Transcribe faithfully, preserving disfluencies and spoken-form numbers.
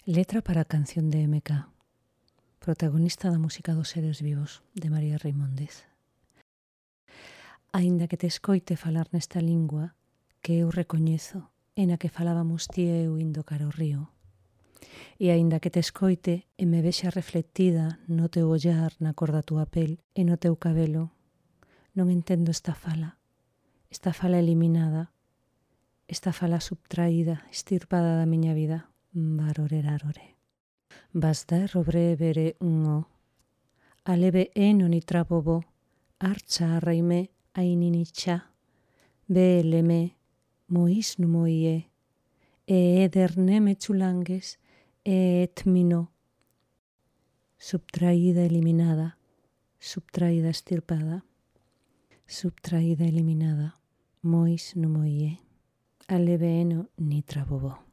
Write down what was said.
Letra para a canción de M K. Protagonista da música dos seres vivos, de María Reimóndez. Aínda que te escoite falar nesta lingua que eu recoñezo e na que falábamos ti e eu indo cara ao río, e aínda que te escoite e me vexa reflectida no teu ollar, na cor da túa pel e no teu cabelo, non entendo esta fala, esta fala eliminada, esta fala subtraída, estirpada da miña vida. Barorerarore. Bazda robrevere ungo. Alebe eno nitrabobo. Artxa arraime aininitxa. Beeleme mois numoie. E ederne metxulanges e etmino. Subtraída, eliminada. Subtraída, estirpada. Subtraída, eliminada. Mois numoie. Alebe eno nitrabobo.